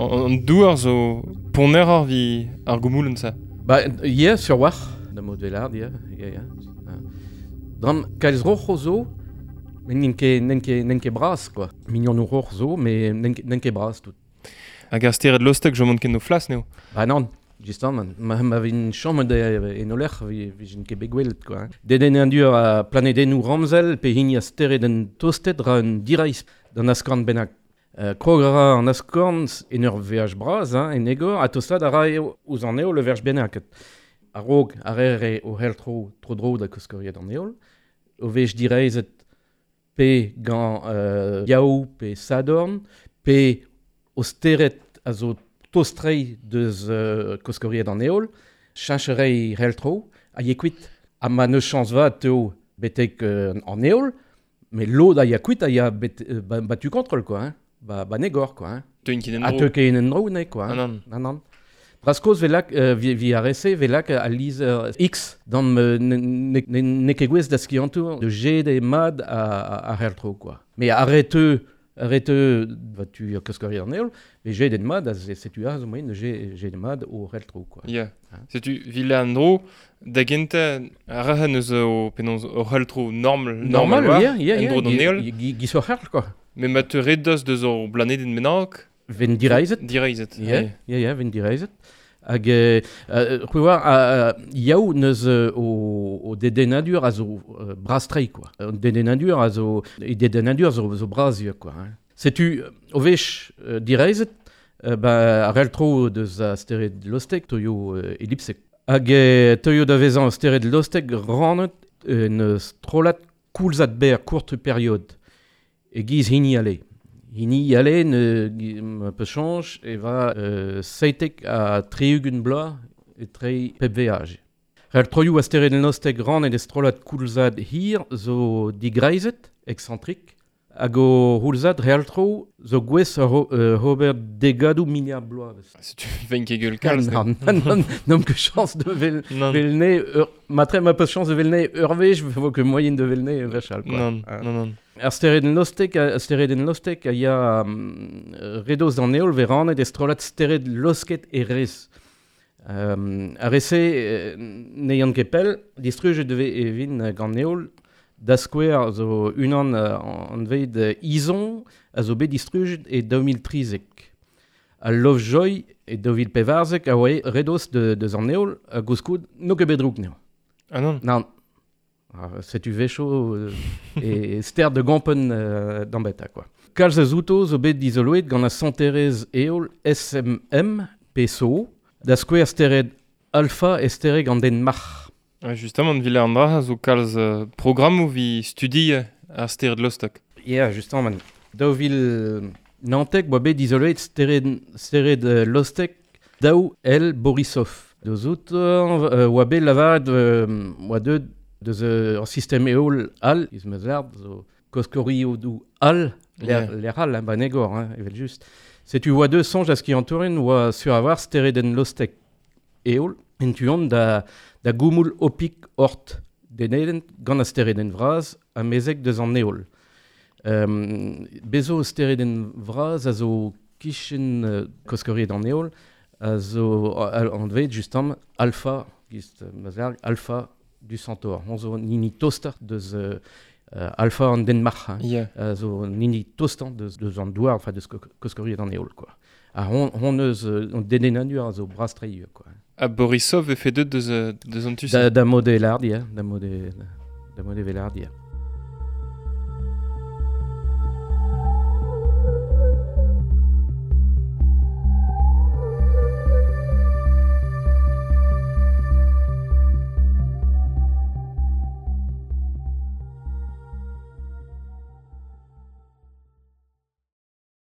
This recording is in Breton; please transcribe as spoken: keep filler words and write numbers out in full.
An, an douar zo ponner ar vi ar goumoulen sa. Ba, yeah, sur war, da mod velard, yeah, yeah, yeah. Dram, kalz roc'h zo, met n'int ket, n'int ket, n'int ket bras, quoi. Mignon roc'h zo, met n'int ket, ket bras tout. Hag ar stered lostek jomont ken no flas neo. Ba non, justement, ma, ma vin chom de en oler, vi, vi ket bet gwelet, quoi. Dedennadur a planedennoù ramzel, pe hini a steredenn tostet ra un direiz d'an askorn bennak. Uh, krog a ra an askorn en ur veaj bras, hein, en egor, ha tostat a ra eo ouzh an heol le verj bennak. A-raok a re o hel tro, tro dro da koskoriet an heol, o vej direizet pe gant euh, Yaou, pe Sadorn, pe o steret a zo tostrei deus euh, koskoriet an heol, cheñcherei hel tro, a ye kuit. Ha ma neus chañs vat teo betek euh, an heol, met lod a ya kuit a ya bet, euh, ba, ba tu kontrol, quoi, hein. Ba, ba negor, quoi, hein. Teu ket en A dro. teu ket en dro, ne, quoi. Ah Hein. nan. Nan, nan. Braskoz velak, euh, vi, vi ar ese velak a lizer X dan euh, ne, ne, ne, ne ket gwez da skiantour de G de mad a, a, a hertro, quoi. Mais arrête arrête va tu koskoriet an heol, mais G den mad, a setu a zo moyen de G, G de mad o hertro, quoi. Yeah. Hein. Setu vile an dro, da genta a raha neus o penaos o heltro normal, Normal, war, yeah, yeah, en yeah. dro d'an heol. Gi, gi so herl, quoi. Mais ma te redos deus ur blanedenn bennak, Ven direizet. direizet. Yeah, yeah, yeah, ven direizet. Hag, euh, euh, c'hwi war, euh, yaou neus euh, o, o dedennadur a zo euh, bras-trei, quoi. O dedennadur a zo, e dedennadur zo, zo bras eo, quoi. Hein. Setu, o vech euh, direizet, euh, ba, ar tro deus a stered lostek, toyo euh, ellipsek. Hag euh, toyo da vezañ stered lostek rannet en euh, strollad koulzad ber courte période. E giz hini ale. Hini ale ne ma peus chañj e va euh, seitek a tri-ugent bloaz e tre pep veaj. Rel troioù a stered lostek rannet e strollad koulzad hir zo digreizet, eksantrik, hag o c'houlzad real tro zo gwez a ro, euh, ober degadoù miliard bloavezh. Setu ven ket gueul kalz. ne. Nan, nan, nan, n'om ket chañs de vel, Nan. velne, ur, matre ma peus chañs de velne ur wech, vo ket moyen de velne wechal, quoi. Nan, Hein. nan, nan. Ar steredenn lostek, a steredenn lostek a ya um, redoz d'an heol ve rannet e strollad stered losket e rez. Um, ar rese euh, ne yann ket pell, distrujet deve e vin gant heol, da skouer zo unan uh, an veid uh, Izon a zo bet distrujet e daou mil trizek. Al Lovejoy e daou vil pevarzek a oa redoz de, deus an heol a gouskoud n'o ket bet drouk neo. Ah nan. Nan. Ah, setu vecho euh, e ster de gampen euh, d'ambeta, quoi. Kalz a zouto zo bet dizoloet gant a santerez eol S M M P S O, da skouer stered alpha e stereg an den marc'h. Ah, justement, vile an dra zo kalz euh, programmoù vi studi ar stered lostek. Yeah, justement, daou vil nantek boa bet dizoloet stered, stered euh, lostek daou L Borisov. Deus out euh, oa bet lavaret euh, oa deut deus euh, ur sistem eol al, iz meus lard, zo koskorio dou al, l'air Yeah. l'air al, hein, ba negor, hein, evel just. Setu oa deus soñj a skiantourien oa sur avoir steredenn lostek eol, en tuont da, da goumoul opik ort deneden gant a steredenn vraz a mezek deus an eol. Um, bezo steredenn vraz a zo kichen uh, koskoriet an eol, a zo anvet justement alpha, gist mazar, alpha du Centaure. On zo nini toster deus euh, euh, alpha an den marc'h, hein. Yeah. A zo nini tostan deus, deus an douar, enfin deus koskoriet an eol, quoi. Ha hon, hon eus euh, an dedennadur a zo bras-tre, quoi. A Borisov e fe deut deus, euh, deus an tu Da, da mode lard, yeah, da mode, da mode velard, yeah.